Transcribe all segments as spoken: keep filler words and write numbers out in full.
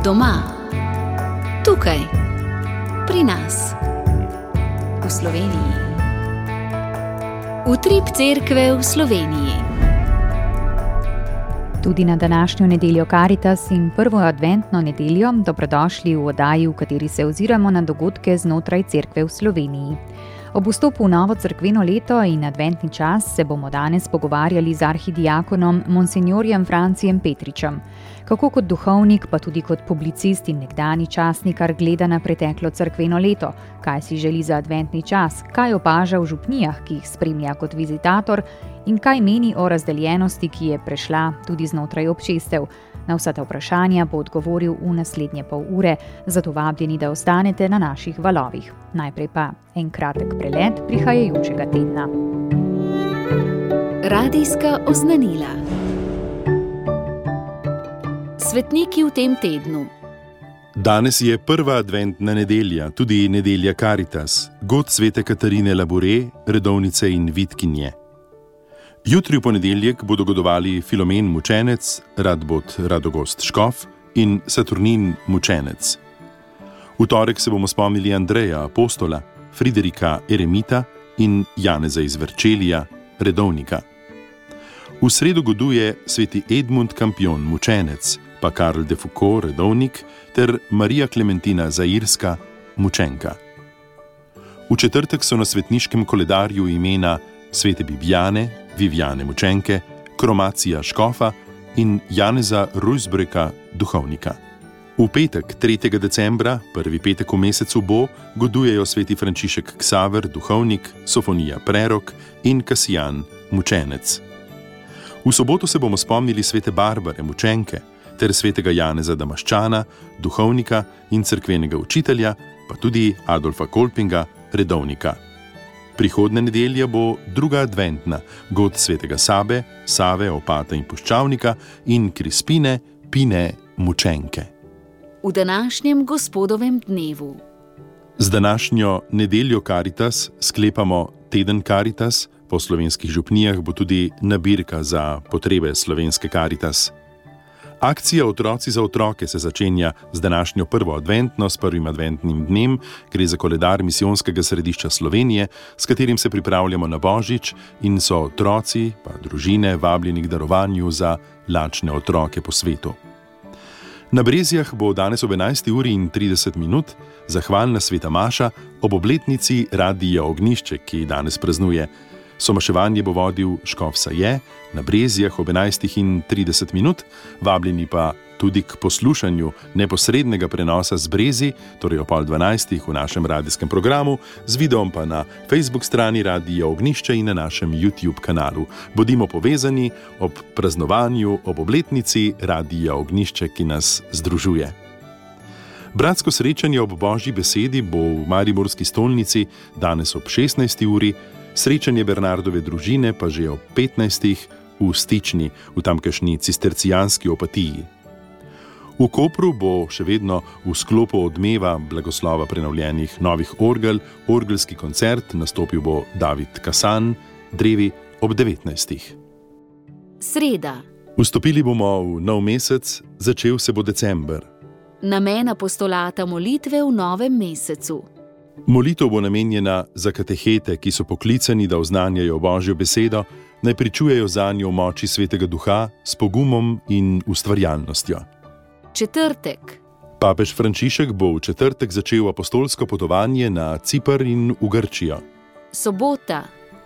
Doma, tukaj, pri nas, v Sloveniji. Utrip cerkve v Sloveniji. Tudi na današnjo nedeljo Karitas in prvo adventno nedeljo dobrodošli v oddaji, v kateri se oziramo na dogodke znotraj cerkve v Sloveniji. Ob vstopu v novo cerkveno leto in adventni čas se bomo danes pogovarjali z arhidiakonom monsinjorjem Francijem Petričem. Kako kot duhovnik, pa tudi kot publicist in nekdanji časnikar gleda na preteklo cerkveno leto, kaj si želi za adventni čas, kaj opaža v župnijah, ki jih spremlja kot vizitator in kaj meni o razdeljenosti, ki je prešla tudi znotraj občestev. Na vsa ta vprašanja bo odgovoril v naslednje pol ure, zato vabljeni, da ostanete na naših valovih. Najprej pa en kratek prelet prihajajočega tedna. Radijska oznanila. Svetniki v tem tednu. Danes je prva adventna nedelja, tudi nedelja Karitas, god svete Katarine Labure, redovnice in vitkinje. Jutri v ponedeljek bodo godovali Filomen mučenec, Radbot Radogost Škof in Saturnin mučenec. V torek se bomo spomnili Andreja apostola, Friderika eremita in Janeza iz Verčelija, redovnika. V sredo goduje sveti Edmund Kampion mučenec, pa Karl de Foucault redovnik ter Marija Klementina Zairska mučenka. V četrtek so na svetniškem koledarju imena svete Bibijane, Vivijane mučenke, Kromacija škofa in Janeza Rujsbreka duhovnika. V petek, tretjega decembra, prvi petek v mesecu bo, godujejo sveti Frančišek Ksaver duhovnik, Sofonija prerok in Kasijan mučenec. V soboto se bomo spomnili svete Barbare mučenke ter svetega Janeza Damaščana, duhovnika in cerkvenega učitelja, pa tudi Adolfa Kolpinga, redovnika. Prihodne nedelja bo druga adventna, god svetega Sabe, Save, Opata in Puščavnika in Krispine, Pine, mučenke. V današnjem gospodovem dnevu. Z današnjo nedeljo Karitas sklepamo teden Karitas, po slovenskih župnijah bo tudi nabirka za potrebe slovenske Karitas. Akcija Otroci za otroke se začenja z današnjo prvo adventno, s prvim adventnim dnem, gre za koledar misijonskega središča Slovenije, s katerim se pripravljamo na Božič in so otroci, pa družine, vabljeni k darovanju za lačne otroke po svetu. Na Brezjah bo danes ob enajsti uri in trideset minut zahvalna sveta maša ob obletnici Radija Ognjišče, ki danes praznuje. Somaševanje bo vodil škof Saje, na Brezjah ob enajstih in trideset minut, vabljeni pa tudi k poslušanju neposrednega prenosa z Brezij, torej ob pol dvanajstih v našem radijskem programu, z videom pa na Facebook strani Radija Ognjišče in na našem YouTube kanalu. Bodimo povezani ob praznovanju, ob obletnici Radija Ognjišče, ki nas združuje. Bratsko srečanje ob Božji besedi bo v Mariborski stolnici danes ob šestnajsti uri, srečanje Bernardove družine pa že ob petnajstih v Stični, v tamkajšnji cistercijanski opatiji. V Kopru bo še vedno v sklopu odmeva blagoslova prenovljenih novih orgel, orgelski koncert, nastopil bo David Kasan, drevi ob devetnajstih. Sreda. Vstopili bomo v nov mesec, začel se bo december. Namen apostolata molitve v novem mesecu. Molitev bo namenjena za katehete, ki so poklicani, da oznanjajo Božjo besedo, naj pričujejo zanjo v moči svetega duha s pogumom in ustvarjalnostjo. Četrtek. Papež Frančišek bo v četrtek začel apostolsko potovanje na Ciper in v Grčijo. Sobota.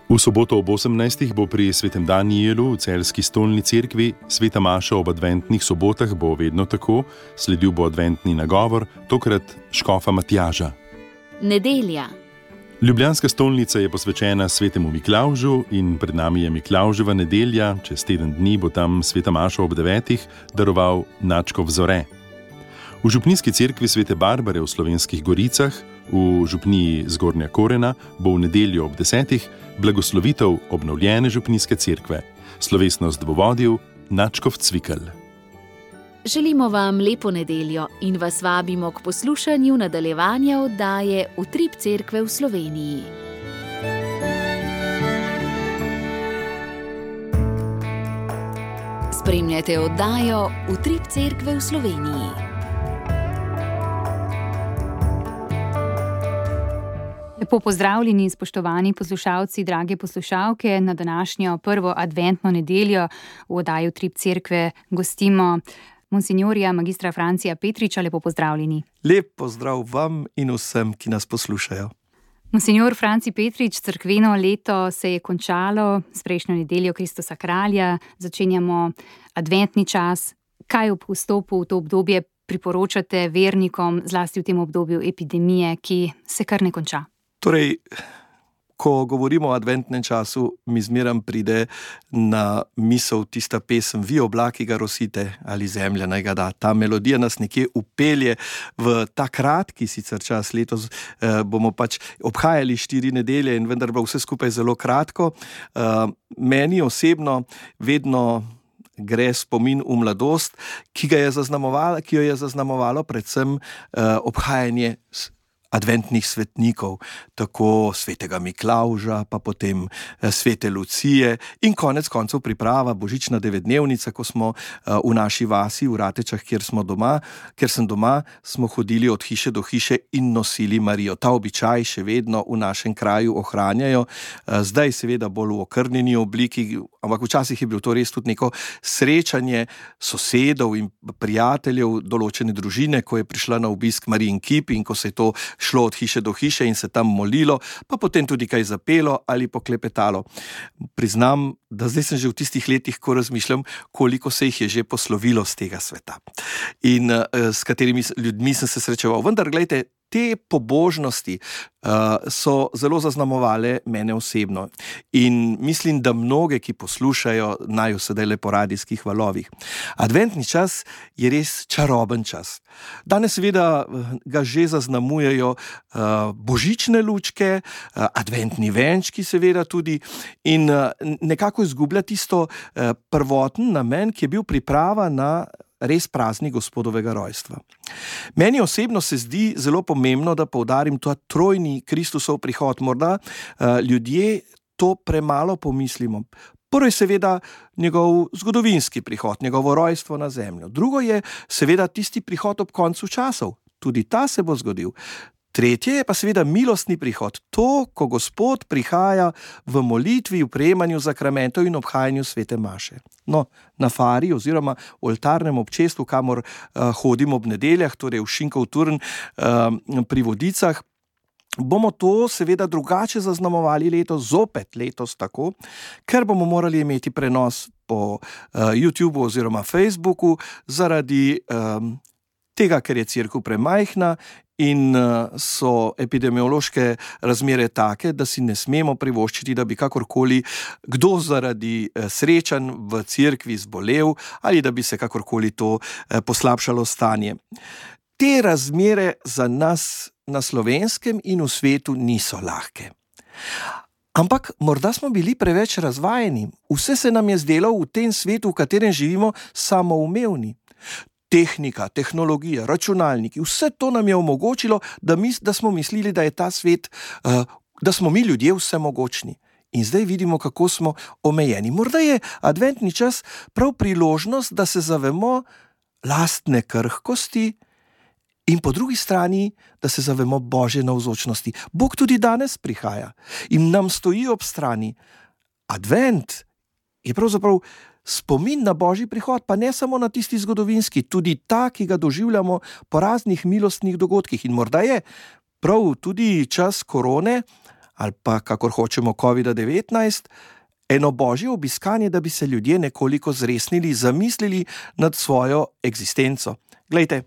V soboto ob osemnajstih bo pri svetem Danijelu v celjski stolni cerkvi sveta maša ob adventnih sobotah bo vedno tako, sledil bo adventni nagovor, tokrat škofa Matjaža. Nedelja. Ljubljanska stolnica je posvečena svetemu Miklavžu in pred nami je Miklavževa nedelja, čez teden dni bo tam sveta maša ob devetih daroval Načkov zore. V župnijski cerkvi svete Barbare v Slovenskih Goricah, v župniji Zgornja Korena, bo v nedeljo ob desetih blagoslovitev obnovljene župnijske cerkve. Slovesnost bo vodil Načkov Cvikl. Želimo vam lepo nedeljo in vas vabimo k poslušanju nadaljevanja oddaje Utrip cerkve v Sloveniji. Spremljate oddajo Utrip cerkve v Sloveniji. Lepo pozdravljeni, spoštovani poslušalci, drage poslušalke. Na današnjo prvo adventno nedeljo v oddaji Utrip cerkve gostimo monsinjorja magistra Francija Petriča. Lepo pozdravljeni. Lep pozdrav vam in vsem, ki nas poslušajo. Monsinjor Franci Petrič, cerkveno leto se je končalo s prejšnjo nedeljo Kristusa kralja. Začenjamo adventni čas. Kaj ob vstopu v to obdobje priporočate vernikom, zlasti v tem obdobju epidemije, ki se kar ne konča? Torej, ko govorimo o adventnem času, mi zmeram pride na misel tista pesem Vi oblaki ga rosite ali zemlja naj ga da. Ta melodija nas nekje upelje v ta kratki sicer čas. Letos eh, bomo pač obhajali štiri nedelje in vendar bo vse skupaj zelo kratko. Eh, meni osebno vedno gre spomin v mladost, ki ga je zaznamovalo, ki jo je zaznamovalo predvsem uh, obhajanje adventnih svetnikov, tako svetega Miklavža, pa potem svete Lucije in konec koncev priprava božična devetdnevnica, ko smo v naši vasi, v Ratečah, kjer smo doma, ker sem doma, smo hodili od hiše do hiše in nosili Marijo. Ta običaj še vedno v našem kraju ohranjajo, zdaj seveda bolj v okrnjeni obliki, ampak včasih je bilo to res tudi neko srečanje sosedov in prijateljev določene družine, ko je prišla na obisk Marijin kip in ko se je to šlo od hiše do hiše in se tam molilo, pa potem tudi kaj zapelo ali poklepetalo. Priznam, da zdaj sem že v tistih letih, ko razmišljam, koliko se jih je že poslovilo z tega sveta in uh, s katerimi ljudmi sem se srečeval. Vendar, glejte, te pobožnosti uh, so zelo zaznamovale mene osebno in mislim, da mnoge, ki poslušajo, naj sedaj le po radijskih valovih. Adventni čas je res čaroben čas. Danes seveda ga že zaznamujejo uh, božične lučke, uh, adventni venčki seveda tudi in uh, nekako izgublja tisto uh, prvoten namen, ki je bil priprava na res praznik Gospodovega rojstva. Meni osebno se zdi zelo pomembno, da poudarim ta trojni Kristusov prihod. Morda uh, ljudje to premalo pomislimo. Prvo je seveda njegov zgodovinski prihod, njegovo rojstvo na zemljo. Drugo je seveda tisti prihod ob koncu časov. Tudi ta se bo zgodil. Tretje je pa seveda milostni prihod. To, ko Gospod prihaja v molitvi, v prejemanju zakramentov in obhajanju svete maše. No, na fari oziroma oltarnem občestvu, kamor uh, hodimo ob nedeljah, torej v Šinkov turn uh, pri Vodicah, bomo to seveda drugače zaznamovali letos, zopet letos tako, ker bomo morali imeti prenos po uh, YouTubeu oziroma Facebooku zaradi um, tega, ker je cerkev premajhna in so epidemiološke razmere take, da si ne smemo privoščiti, da bi kakorkoli kdo zaradi srečanj v cerkvi zbolel ali da bi se kakorkoli to poslabšalo stanje. Te razmere za nas na Slovenskem in v svetu niso lahke. Ampak morda smo bili preveč razvajeni. Vse se nam je zdelo v tem svetu, v katerem živimo, samoumevni. Tehnika, tehnologija, računalniki, vse to nam je omogočilo, da, mis, da smo mislili, da je ta svet, uh, da smo mi ljudje vsemogočni. In zdaj vidimo, kako smo omejeni. Morda je adventni čas prav priložnost, da se zavemo lastne krhkosti in po drugi strani, da se zavemo Božje navzočnosti. Bog tudi danes prihaja in nam stoji ob strani. Advent je pravzaprav spomin na Božji prihod, pa ne samo na tisti zgodovinski, tudi ta, ki ga doživljamo po raznih milostnih dogodkih. In morda je prav tudi čas korone, ali pa kakor hočemo kovida devetnajst, eno božje obiskanje, da bi se ljudje nekoliko zresnili, zamislili nad svojo eksistenco. Glejte,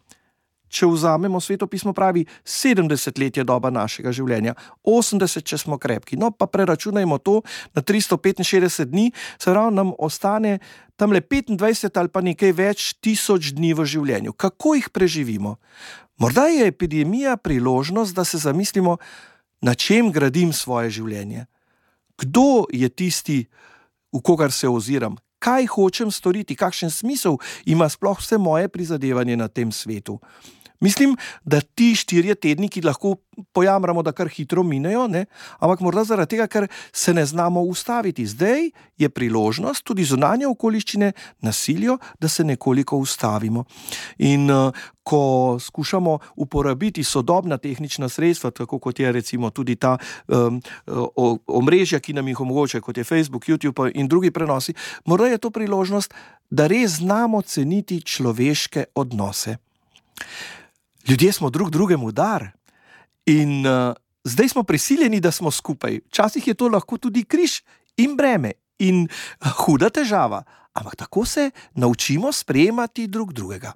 če vzamemo svetopismo, pravi, sedemdeset let je doba našega življenja, osemdeset, če smo krepki. No, pa preračunajmo to na tristo petinšestdeset dni, se pravi, nam ostane tamle petindvajset ali pa nekaj več tisoč dni v življenju. Kako jih preživimo? Morda je epidemija priložnost, da se zamislimo, na čem gradim svoje življenje. Kdo je tisti, v kogar se oziram? Kaj hočem storiti? Kakšen smisel ima sploh vse moje prizadevanje na tem svetu? Mislim, da ti štirje tedni, ki lahko pojamramo, da kar hitro minejo, ne? Ampak morda zaradi tega, ker se ne znamo ustaviti. Zdaj je priložnost, tudi zunanje okoliščine nasilijo, da se nekoliko ustavimo. In uh, ko skušamo uporabiti sodobna tehnična sredstva, tako kot je recimo tudi ta um, omrežja, ki nam jih omogočajo, kot je Facebook, YouTube in drugi prenosi, morda je to priložnost, da res znamo ceniti človeške odnose. Ljudje smo drug drugemu dar in uh, zdaj smo prisiljeni, da smo skupaj. Včasih je to lahko tudi križ in breme in uh, huda težava, ampak tako se naučimo sprejemati drug drugega.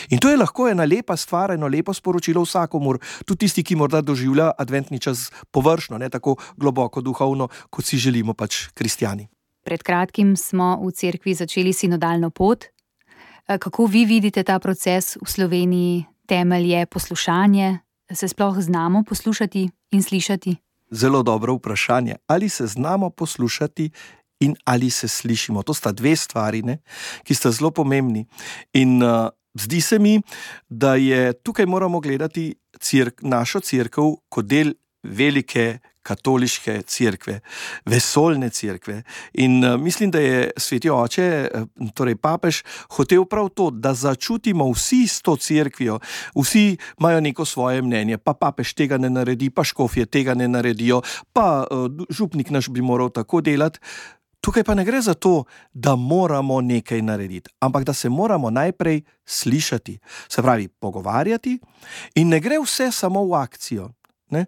In to je lahko ena lepa stvar, eno lepo sporočilo vsakomur, tudi tisti, ki morda doživlja adventni čas površno, ne tako globoko duhovno, kot si želimo pač kristjani. Pred kratkim smo v cerkvi začeli sinodalno pot. Kako vi vidite ta proces v Sloveniji? Temelj je poslušanje. Se sploh znamo poslušati in slišati? Zelo dobro vprašanje. Ali se znamo poslušati in ali se slišimo? To sta dve stvari, ne, ki sta zelo pomembni. In uh, zdi se mi, da je tukaj moramo gledati cirk, našo cerkev kot del velike katoliške cerkve, vesoljne cerkve. In uh, mislim, da je sveti oče, torej papež, hotel prav to, da začutimo vsi s to cerkvijo. Vsi imajo neko svoje mnenje, pa papež tega ne naredi, pa škofje tega ne naredijo, pa uh, župnik naš bi moral tako delati. Tukaj pa ne gre za to, da moramo nekaj narediti, ampak da se moramo najprej slišati, se pravi pogovarjati, in ne gre vse samo v akcijo. Ne?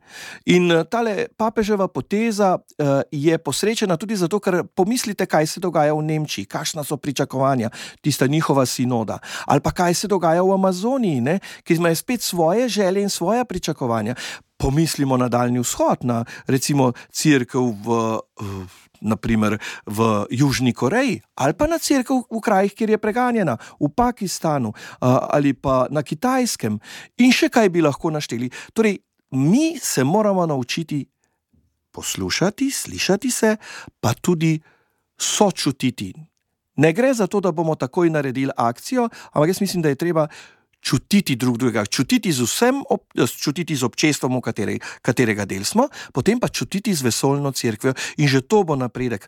In tale papeževa poteza uh, je posrečena tudi zato, ker pomislite, kaj se dogaja v Nemčiji, kakšna so pričakovanja, tista njihova sinoda, ali pa kaj se dogaja v Amazoniji, ne? Ki imajo spet svoje želje in svoja pričakovanja. Pomislimo na Daljni vzhod, na recimo cerkev v, uh, naprimer v Južni Koreji, ali pa na cerkev v krajih, kjer je preganjena, v Pakistanu, uh, ali pa na Kitajskem, in še kaj bi lahko našteli. Torej, mi se moramo naučiti poslušati, slišati se, pa tudi sočutiti. Ne gre za to, da bomo takoj naredili akcijo, ampak jaz mislim, da je treba čutiti drug drugega, čutiti z vsem, čutiti z občestvom, v kateri, katerega del smo, potem pa čutiti z vesoljno cerkvijo, in že to bo napredek.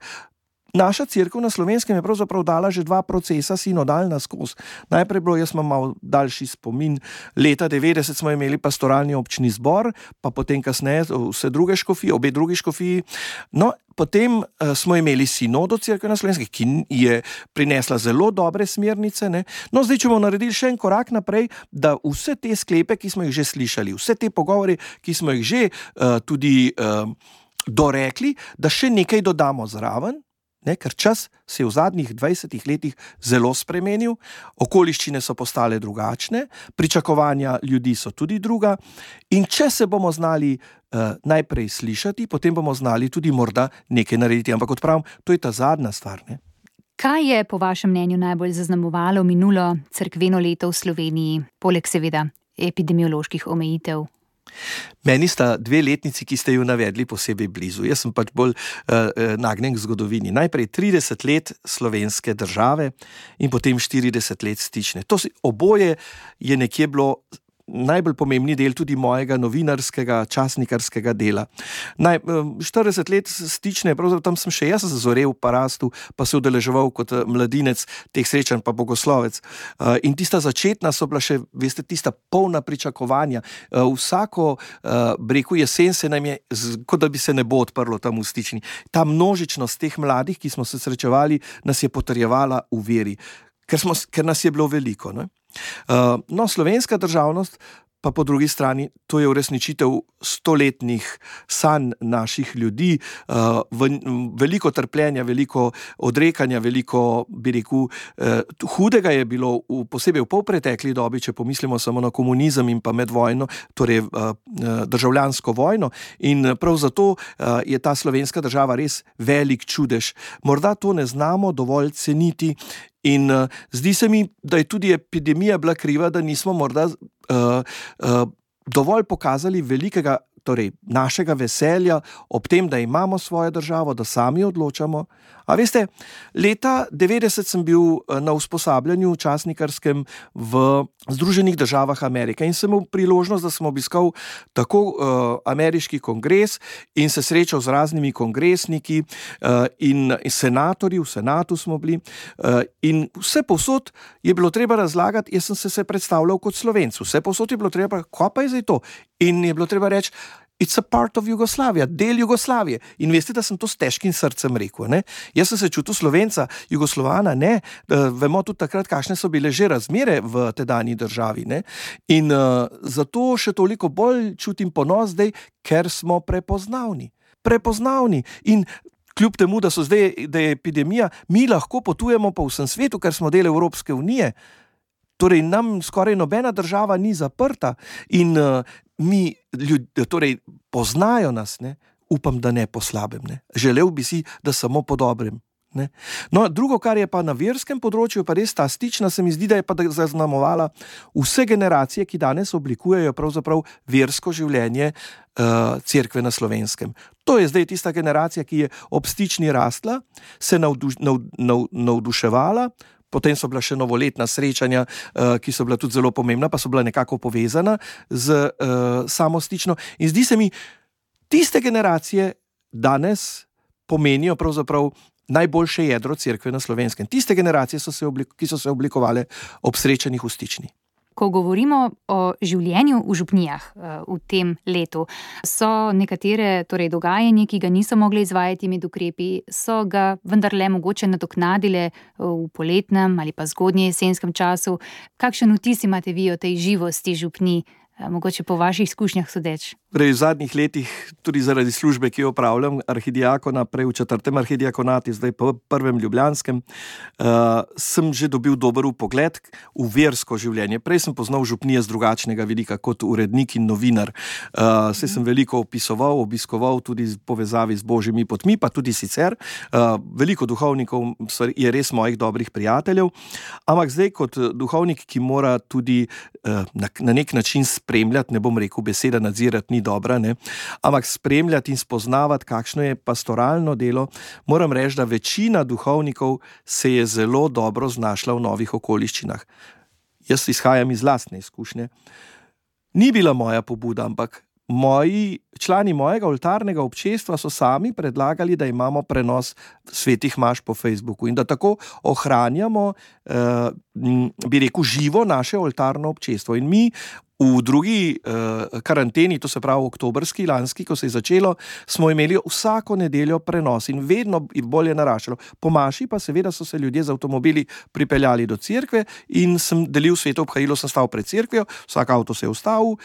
Naša cerkev na Slovenskem je pravzaprav dala že dva procesa sinodalna skozi. Najprej bilo, jaz imam malo daljši spomin, leta devetdeset smo imeli pastoralni občni zbor, pa potem kasneje vse druge škofije, obe drugi škofiji. No, potem uh, smo imeli sinodo cerkve na Slovenskem, ki je prinesla zelo dobre smernice. Ne? No, zdaj, če bomo naredili še en korak naprej, da vse te sklepe, ki smo jih že slišali, vse te pogovore, ki smo jih že uh, tudi uh, dorekli, da še nekaj dodamo zraven. Ne, ker čas se je v zadnjih dvajsetih letih zelo spremenil, okoliščine so postale drugačne, pričakovanja ljudi so tudi druga, in če se bomo znali uh, najprej slišati, potem bomo znali tudi morda nekaj narediti. Ampak kot pravim, to je ta zadnja stvar. Ne? Kaj je po vašem mnenju najbolj zaznamovalo minulo cerkveno leto v Sloveniji, poleg seveda epidemioloških omejitev? Meni sta dve letnici, ki ste ju navedli, posebej blizu. Jaz sem pač bolj uh, nagnjen k zgodovini. Najprej trideset let slovenske države in potem štirideset let stične. To si, oboje je nekje bilo najbolj pomembni del tudi mojega novinarskega, časnikarskega dela. Naj, štirideset let stične, pravzaprav tam sem še jaz zazorel v Parastu, pa se udeleževal kot mladinec teh srečanj, pa bogoslovec. In tista začetna so bila še, veste, tista polna pričakovanja. Vsako breku jesen se nam je, kot da bi se nebo odprlo tam v stični. Ta množičnost teh mladih, ki smo se srečevali, nas je potrjevala v veri, ker, smo, ker nas je bilo veliko, ne? Uh, no, slovenska državnost pa po drugi strani, to je uresničitev stoletnih sanj naših ljudi, uh, v, veliko trpljenja, veliko odrekanja, veliko, bi rekel, uh, hudega je bilo, v, posebej v polpretekli dobi, če pomislimo samo na komunizem in pa medvojno, torej uh, državljansko vojno, in prav zato uh, je ta slovenska država res velik čudež. Morda to ne znamo dovolj ceniti. In uh, zdi se mi, da je tudi epidemija bila kriva, da nismo morda uh, uh, dovolj pokazali velikega torej našega veselja ob tem, da imamo svojo državo, da sami odločamo. A veste, leta devetdeset sem bil na usposabljanju časnikarskem v Združenih državah Amerike in sem imel priložnost, da sem obiskal tako uh, ameriški kongres in se srečal z raznimi kongresniki uh, in senatorji, v senatu smo bili uh, in vse povsod je bilo treba razlagati, jaz sem se, se predstavljal kot Slovenc, vse povsod je bilo treba, kaj pa je zdaj to? In je bilo treba reči, it's a part of Jugoslavia, del Jugoslavije. In veste, da sem to s težkim srcem rekel. Ne? Jaz sem se čutil Slovenca, Jugoslovana, ne. Uh, vemo tudi takrat, kakšne so bile že razmere v tedanji državi. Ne? In uh, zato še toliko bolj čutim ponos zdaj, ker smo prepoznavni. Prepoznavni. In kljub temu, da, so zdaj, da je epidemija, mi lahko potujemo po vsem svetu, ker smo del Evropske unije. Torej, nam skoraj nobena država ni zaprta in uh, mi ljudje, torej, poznajo nas, ne? Upam, da ne po slabem. Ne? Želel bi si, da samo po dobrem. Ne? No, drugo, kar je pa na verskem področju, pa res ta stična, se mi zdi, da je pa zaznamovala vse generacije, ki danes oblikujejo pravzaprav versko življenje uh, cerkve na Slovenskem. To je zdaj tista generacija, ki je ob stični rastla, se navduš, nav, nav, navduševala. Potem so bila še novoletna srečanja, ki so bila tudi zelo pomembna, pa so bila nekako povezana z samo stično. In zdi se mi, tiste generacije danes pomenijo pravzaprav najboljše jedro cerkve na Slovenskem. Tiste generacije, so se oblik- ki so se oblikovale ob srečanjih v stični. Ko govorimo o življenju v župnijah v tem letu, so nekatere torej, dogajanje, ki ga niso mogli izvajati med ukrepi, so ga vendarle mogoče nadoknadile v poletnem ali pa zgodnje jesenskem času. Kakšen vtis imate vi o tej živosti župnij, mogoče po vaših izkušnjah sodeč? Prej v zadnjih letih, tudi zaradi službe, ki jo opravljam, arhidiakona, prej v četrtem arhidiakonati, zdaj pa v prvem ljubljanskem, uh, sem že dobil dober vpogled v versko življenje. Prej sem poznal župnije z drugačnega vidika kot urednik in novinar. Uh, se sem veliko opisoval, obiskoval tudi v povezavi z božjimi potmi, pa tudi sicer. Uh, veliko duhovnikov je res mojih dobrih prijateljev, ampak zdaj kot duhovnik, ki mora tudi uh, na, na nek način spremljati, ne bom rekel beseda nadzirati, ni dobra, ne? Ampak spremljati in spoznavati, kakšno je pastoralno delo, moram reči, da večina duhovnikov se je zelo dobro znašla v novih okoliščinah. Jaz izhajam iz lastne izkušnje. Ni bila moja pobuda, ampak moji, člani mojega oltarnega občestva so sami predlagali, da imamo prenos svetih maš po Facebooku in da tako ohranjamo, eh, bi rekel, živo naše oltarno občestvo. In mi v drugi uh, karanteni, to se pravi oktobrski, lanski, ko se je začelo, smo imeli vsako nedeljo prenos in vedno bolje naraščalo. Po maši pa seveda so se ljudje z avtomobili pripeljali do cerkve in sem delil sveto obhajilo, sem stal pred cerkvijo, vsak avto se je ustavil,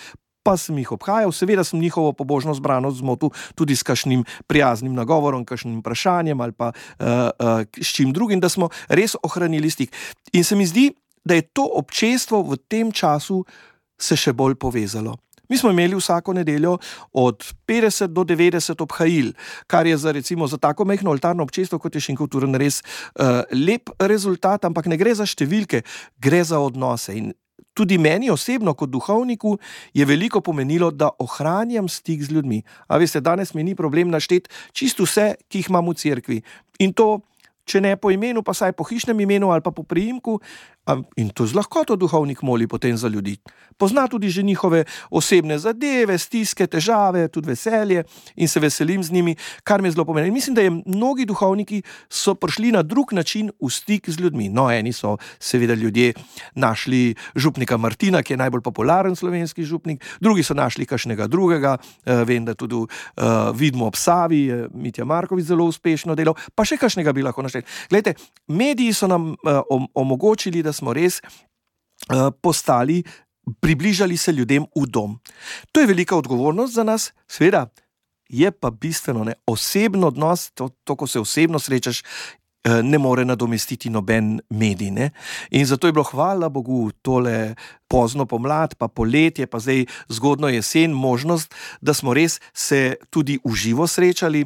pa sem jih obhajal, seveda sem njihovo pobožno zbranost zmotil tudi s kakšnim prijaznim nagovorom, kakšnim vprašanjem ali pa uh, uh, s čim drugim, da smo res ohranili stik. In se mi zdi, da je to občestvo v tem času se še bolj povezalo. Mi smo imeli vsako nedeljo od petdeset do devetdeset obhajil, kar je za recimo za tako majhno oltarno občestvo, kot je Šenkovturen, res uh, lep rezultat, ampak ne gre za številke, gre za odnose. In tudi meni osebno kot duhovniku je veliko pomenilo, da ohranjam stik z ljudmi. A veste, danes mi ni problem našteti čisto vse, ki jih imam v cerkvi. In to, če ne po imenu, pa saj po hišnem imenu ali pa po priimku, in to z lahkoto duhovnik moli potem za ljudi. Pozna tudi že njihove osebne zadeve, stiske, težave, tudi veselje in se veselim z njimi, kar mi je zelo pomeni. Mislim, da je mnogi duhovniki so prišli na drug način v stik z ljudmi. No, eni so seveda ljudje našli župnika Martina, ki je najbolj popularen slovenski župnik, drugi so našli kakšnega drugega, uh, vem, da tudi uh, vidimo ob Savi, uh, Mitja Marković zelo uspešno delal, pa še kakšnega bi lahko našli. Glejte, mediji so nam uh, omogočili, da smo res uh, postali, približali se ljudem v dom. To je velika odgovornost za nas, seveda je pa bistveno, ne, osebno odnos, to, to, ko se osebno srečaš, ne more nadomestiti noben medij. Ne? In zato je bilo, hvala Bogu, tole pozno pomlad, pa poletje, pa zdaj zgodno jesen, možnost, da smo res se tudi v živo srečali.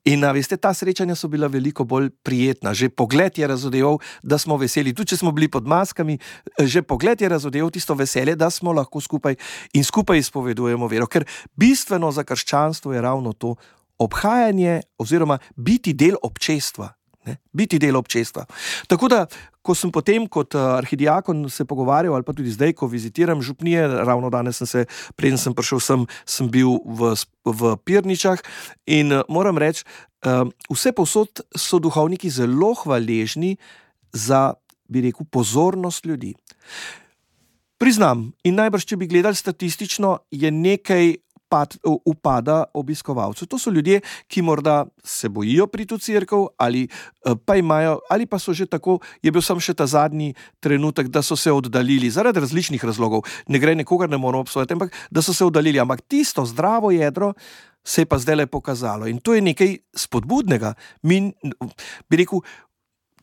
In a, veste, ta srečanja so bila veliko bolj prijetna. Že pogled je razodeval, da smo veseli. Tudi če smo bili pod maskami, že pogled je razodeval tisto veselje, da smo lahko skupaj in skupaj izpovedujemo vero. Ker bistveno za krščanstvo je ravno to obhajanje oziroma biti del občestva. Ne? Biti del občestva. Tako da, ko sem potem kot arhidiakon se pogovarjal, ali pa tudi zdaj, ko vizitiram župnije, ravno danes sem se, preden sem prišel sem, sem bil v, v Pirničah in moram reči, vse povsod so duhovniki zelo hvaležni za, bi rekel, pozornost ljudi. Priznam, in najbrž, če bi gledali statistično, je nekaj Pad, upada obiskovalcev. To so ljudje, ki morda se bojijo priti v cerkev ali pa imajo, ali pa so že tako, je bil sam še ta zadnji trenutek, da so se oddaljili zaradi različnih razlogov. Ne gre, nekogar ne moramo obsojati, ampak da so se oddaljili. Ampak tisto zdravo jedro se je pa zdaj le pokazalo. In to je nekaj spodbudnega. Mi, bi rekel,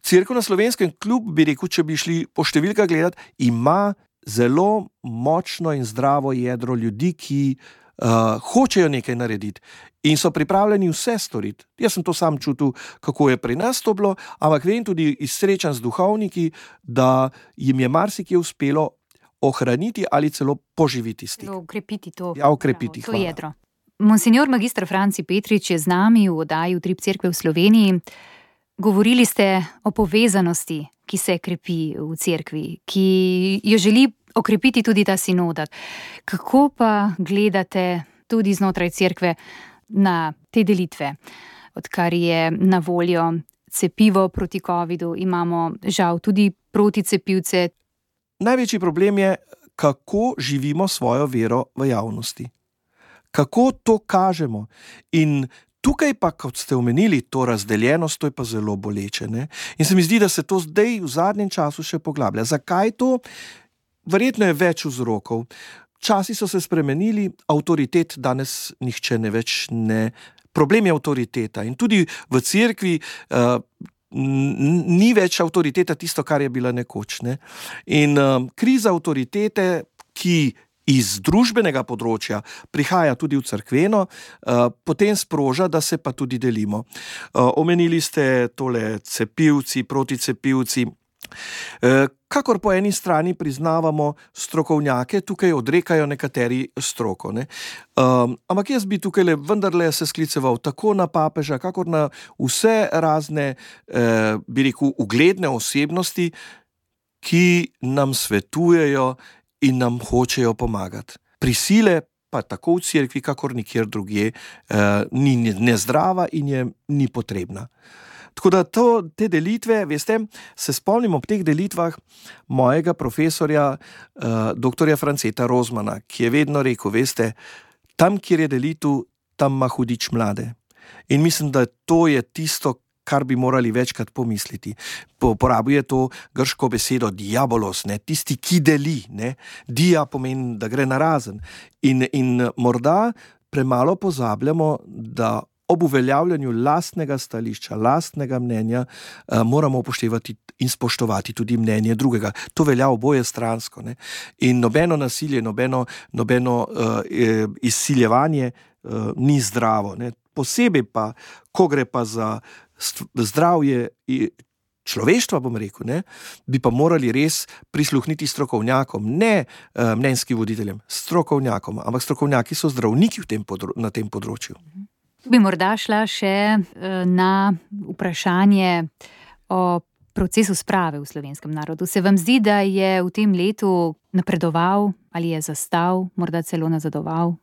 cerkev na Slovenskem, kljub, bi rekel, če bi šli po številkah gledati, ima zelo močno in zdravo jedro ljudi, ki Uh, hočejo nekaj narediti in so pripravljeni vse storiti. Jaz sem to sam čutil, kako je pri nas to bilo, ampak vem tudi iz srečanj z duhovniki, da jim je marsikje uspelo ohraniti ali celo poživiti stik. Ukrepiti to, ja, ukrepiti, to jedro. Monsignor magister Franci Petrič je z nami v oddaji Utrip cerkve v Sloveniji. Govorili ste o povezanosti, ki se krepi v cerkvi, ki jo želi okrepiti tudi ta sinodat. Kako pa gledate tudi znotraj cerkve na te delitve? Odkar je na voljo cepivo proti covidu, imamo žal tudi proticepivce. Največji problem je, kako živimo svojo vero v javnosti. Kako to kažemo. In tukaj pa, kot ste omenili, to razdeljenost, to je pa zelo boleče. Ne? In se mi zdi, da se to zdaj v zadnjem času še poglablja. Zakaj to? Verjetno je več vzrokov. Časi so se spremenili, avtoritet danes nihče ne več ne. Problem je avtoriteta in tudi v cerkvi uh, ni več avtoriteta tisto, kar je bila nekoč. Ne? In uh, kriza avtoritete, ki iz družbenega področja prihaja tudi v cerkveno, uh, potem sproža, da se pa tudi delimo. Uh, omenili ste tole cepivci, proticepivci. Kakor po eni strani priznavamo strokovnjake, tukaj odrekajo nekateri stroko. Ne? Um, ampak jaz bi tukaj vendarle se skliceval tako na papeža, kakor na vse razne, eh, bi rekel, ugledne osebnosti, ki nam svetujejo in nam hočejo pomagati. Prisile pa tako v cerkvi, kakor nikjer drugje, eh, ni nezdrava in je ni potrebna. Tako da to, te delitve, veste, se spomnim ob teh delitvah mojega profesorja, uh, doktorja Franceta Rozmana, ki je vedno rekel, veste, tam, kjer je delitev, tam ima hudič mlade. In mislim, da to je tisto, kar bi morali večkrat pomisliti. Uporabuje to grško besedo diabolos, ne, tisti, ki deli, ne. Dia pomeni, da gre narazen. In, in morda premalo pozabljamo, da ob uveljavljanju lastnega stališča, lastnega mnenja, eh, moramo upoštevati in spoštovati tudi mnenje drugega. To velja oboje stransko. Ne? In nobeno nasilje, nobeno, nobeno eh, izsiljevanje eh, ni zdravo. Ne? Posebej pa, ko gre pa za zdravje človeštva, bom rekel, ne? Bi pa morali res prisluhniti strokovnjakom, ne eh, mnenjskim voditeljem, strokovnjakom, ampak strokovnjaki so zdravniki v tem podro- na tem področju. Bi morda šla še na vprašanje o procesu sprave v slovenskem narodu. Se vam zdi, da je v tem letu napredoval ali je zastal, morda celo nazadoval?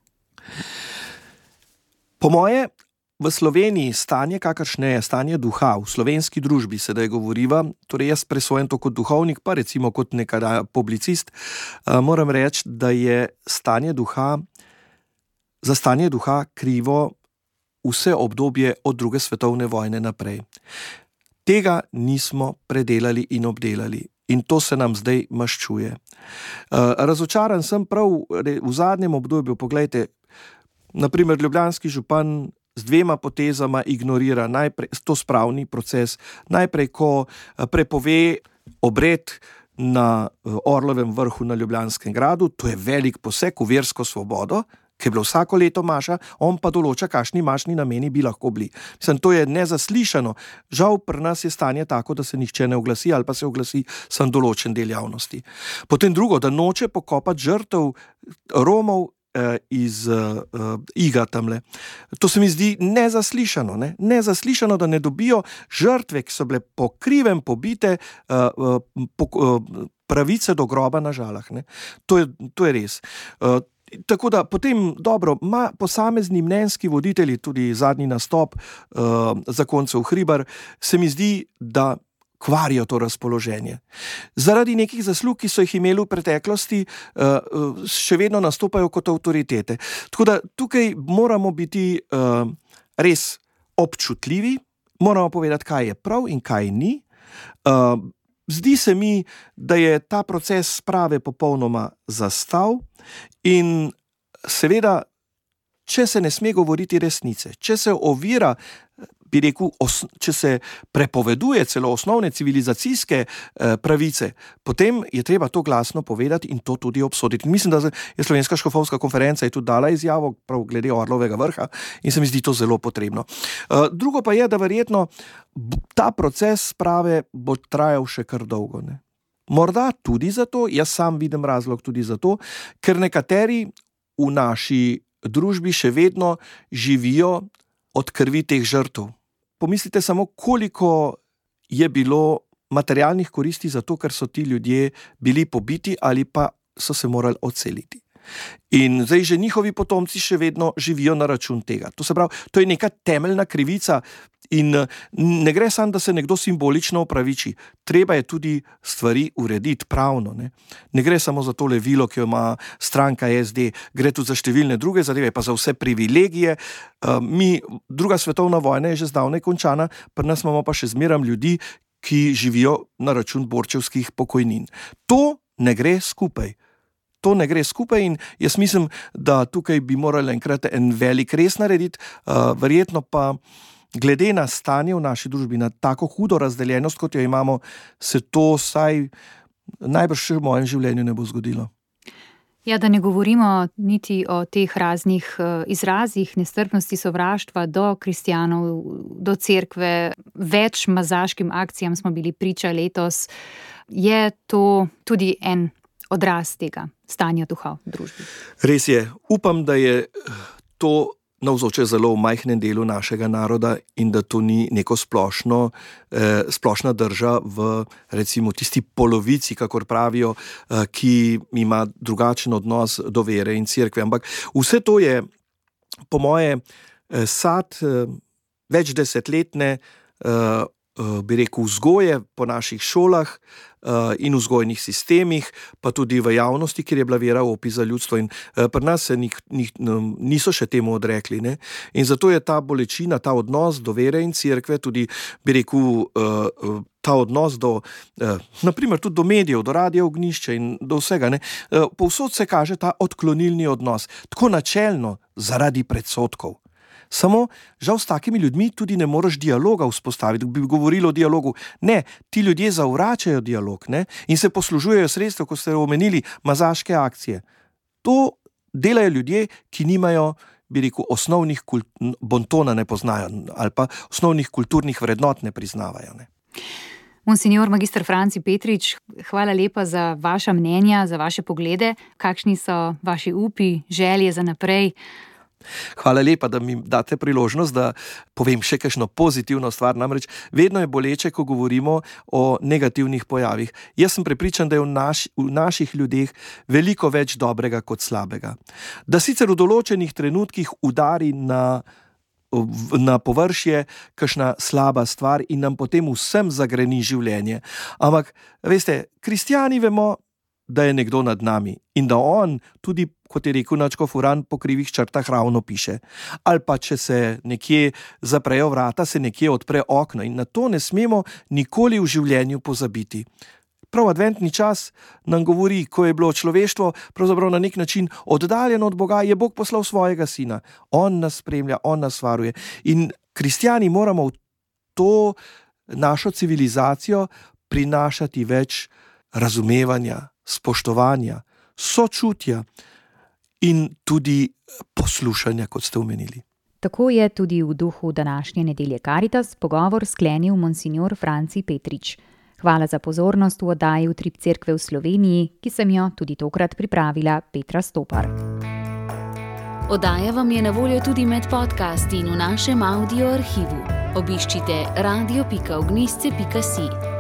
Po moje, v Sloveniji stanje, kakršne je stanje duha, v slovenski družbi sedaj govoriva, torej jaz presojam to kot duhovnik, pa recimo kot nekada publicist, moram reči, da je stanje duha, za stanje duha krivo vse obdobje od druge svetovne vojne naprej. Tega nismo predelali in obdelali in to se nam zdaj maščuje. Razočaran sem prav v zadnjem obdobju, poglejte, na primer ljubljanski župan z dvema potezama ignorira najprej to spravni proces, najprej, ko prepove obred na Orlovem vrhu na Ljubljanskem gradu, to je velik poseg v versko svobodo, ki je bilo vsako leto maša, on pa določa, kakšni mašni nameni bi lahko bili. Mislim, to je nezaslišano. Žal pri nas je stanje tako, da se nihče ne oglasi ali pa se oglasi sam določen del javnosti. Potem drugo, da noče pokopati žrtev Romov eh, iz eh, Iga tamle. To se mi zdi nezaslišano, ne? Nezaslišano, da ne dobijo žrtve, ki so bile po krivem pobite, eh, po, eh, pravice do groba na Žalah. Ne? To je, to je res. Eh, Tako da potem, dobro, ma posamezni mnenjski voditelji, tudi zadnji nastop uh, zakoncev Hribar, se mi zdi, da kvarijo to razpoloženje. Zaradi nekih zaslug, ki so jih imeli v preteklosti, uh, še vedno nastopajo kot avtoritete. Tako da tukaj moramo biti uh, res občutljivi, moramo povedati, kaj je prav in kaj ni. Uh, Zdi se mi, da je ta proces sprave popolnoma zastal in seveda, če se ne sme govoriti resnice, če se ovira, bi rekel, os, če se prepoveduje celo osnovne civilizacijske eh, pravice, potem je treba to glasno povedati in to tudi obsoditi. In mislim, da je Slovenska škofovska konferenca je tudi dala izjavo prav glede Orlovega vrha in se mi zdi to zelo potrebno. Eh, drugo pa je, da verjetno ta proces sprave bo trajal še kar dolgo. Ne? Morda tudi zato, jaz sam vidim razlog tudi zato, ker nekateri v naši družbi še vedno živijo od krvi teh žrtev. Pomislite samo, koliko je bilo materialnih koristi za to, ker so ti ljudje bili pobiti ali pa so se morali odseliti. In zdaj že njihovi potomci še vedno živijo na račun tega. To se pravi, to je neka temeljna krivica in ne gre samo, da se nekdo simbolično opraviči. Treba je tudi stvari urediti pravno. Ne, ne gre samo za tole vilo, ki jo ima stranka S D, gre tudi za številne druge zadeve, pa za vse privilegije. Mi, druga svetovna vojna je že zdavnaj končana, pri nas imamo pa še zmeram ljudi, ki živijo na račun borčevskih pokojnin. To ne gre skupaj. To ne gre skupaj in jaz mislim, da tukaj bi morali enkrat en velik res narediti, uh, verjetno pa glede na stanje v naši družbi, na tako hudo razdeljenost, kot jo imamo, se to vsaj najbrž še v mojem življenju ne bo zgodilo. Ja, da ne govorimo niti o teh raznih uh, izrazih nestrpnosti, sovraštva do kristjanov, do cerkve, več mazaškim akcijam smo bili priča letos. Je to tudi en odraz tega stanja duha v družbi? Res je. Upam, da je to navzoče zelo v majhnem delu našega naroda in da to ni neko splošno, eh, splošna drža v recimo tisti polovici, kakor pravijo, eh, ki ima drugačen odnos do vere in cerkve. Ampak vse to je, po moje, eh, sad eh, več desetletne eh, bi rekel, vzgoje po naših šolah uh, in vzgojnih sistemih, pa tudi v javnosti, kjer je bila vera opis za ljudstvo in uh, pri nas se nik, nik, niso še temu odrekli. Ne? In zato je ta bolečina, ta odnos do vere in cerkve, tudi bi rekel, uh, ta odnos do, uh, naprimer tudi do medijev, do Radia Ognjišče in do vsega. Ne? Uh, povsod se kaže ta odklonilni odnos, tako načelno zaradi predsodkov. Samo, žal s takimi ljudmi tudi ne moreš dialoga vzpostaviti, bi govorili o dialogu. Ne, ti ljudje zavračajo dialog, ne, in se poslužujejo sredstev, ko ste omenili, mazaške akcije. To delajo ljudje, ki nimajo, bi rekel, osnovnih kult, bontona ne poznajo ali pa osnovnih kulturnih vrednot ne priznavajo. Ne. Monsignor magister Franci Petrič, hvala lepa za vaša mnenja, za vaše poglede. Kakšni so vaši upi, želje za naprej? Hvala lepa, da mi date priložnost, da povem še kakšno pozitivno stvar. Namreč vedno je boleče, ko govorimo o negativnih pojavih. Jaz sem prepričan, da je v, naš, v naših ljudeh veliko več dobrega kot slabega. Da sicer v določenih trenutkih udari na, na površje kakšna slaba stvar in nam potem vsem zagreni življenje. Ampak, veste, kristjani vemo, da je nekdo nad nami in da on tudi, kot je rekel nadškof Uran, po krivih črtah ravno piše. Ali pa, če se nekje zaprejo vrata, se nekje odpre okno in na to ne smemo nikoli v življenju pozabiti. prav adventni čas nam govori, ko je bilo človeštvo pravzaprav na nek način oddaljeno od Boga, je Bog poslal svojega sina. On nas spremlja, on nas varuje. In kristjani moramo v to našo civilizacijo prinašati več razumevanja, spoštovanja, sočutja in tudi poslušanja, kot ste omenili. Tako je tudi v duhu današnje nedelje Karitas pogovor sklenil monsignor Franci Petrič. Hvala za pozornost v oddaji Utrip Cerkve v Sloveniji, ki sem jo tudi tokrat pripravila Petra Stopar. Oddaja vam je na voljo tudi med podcasti in v našem audio arhivu. Obiščite radio pika ognjišče pika si.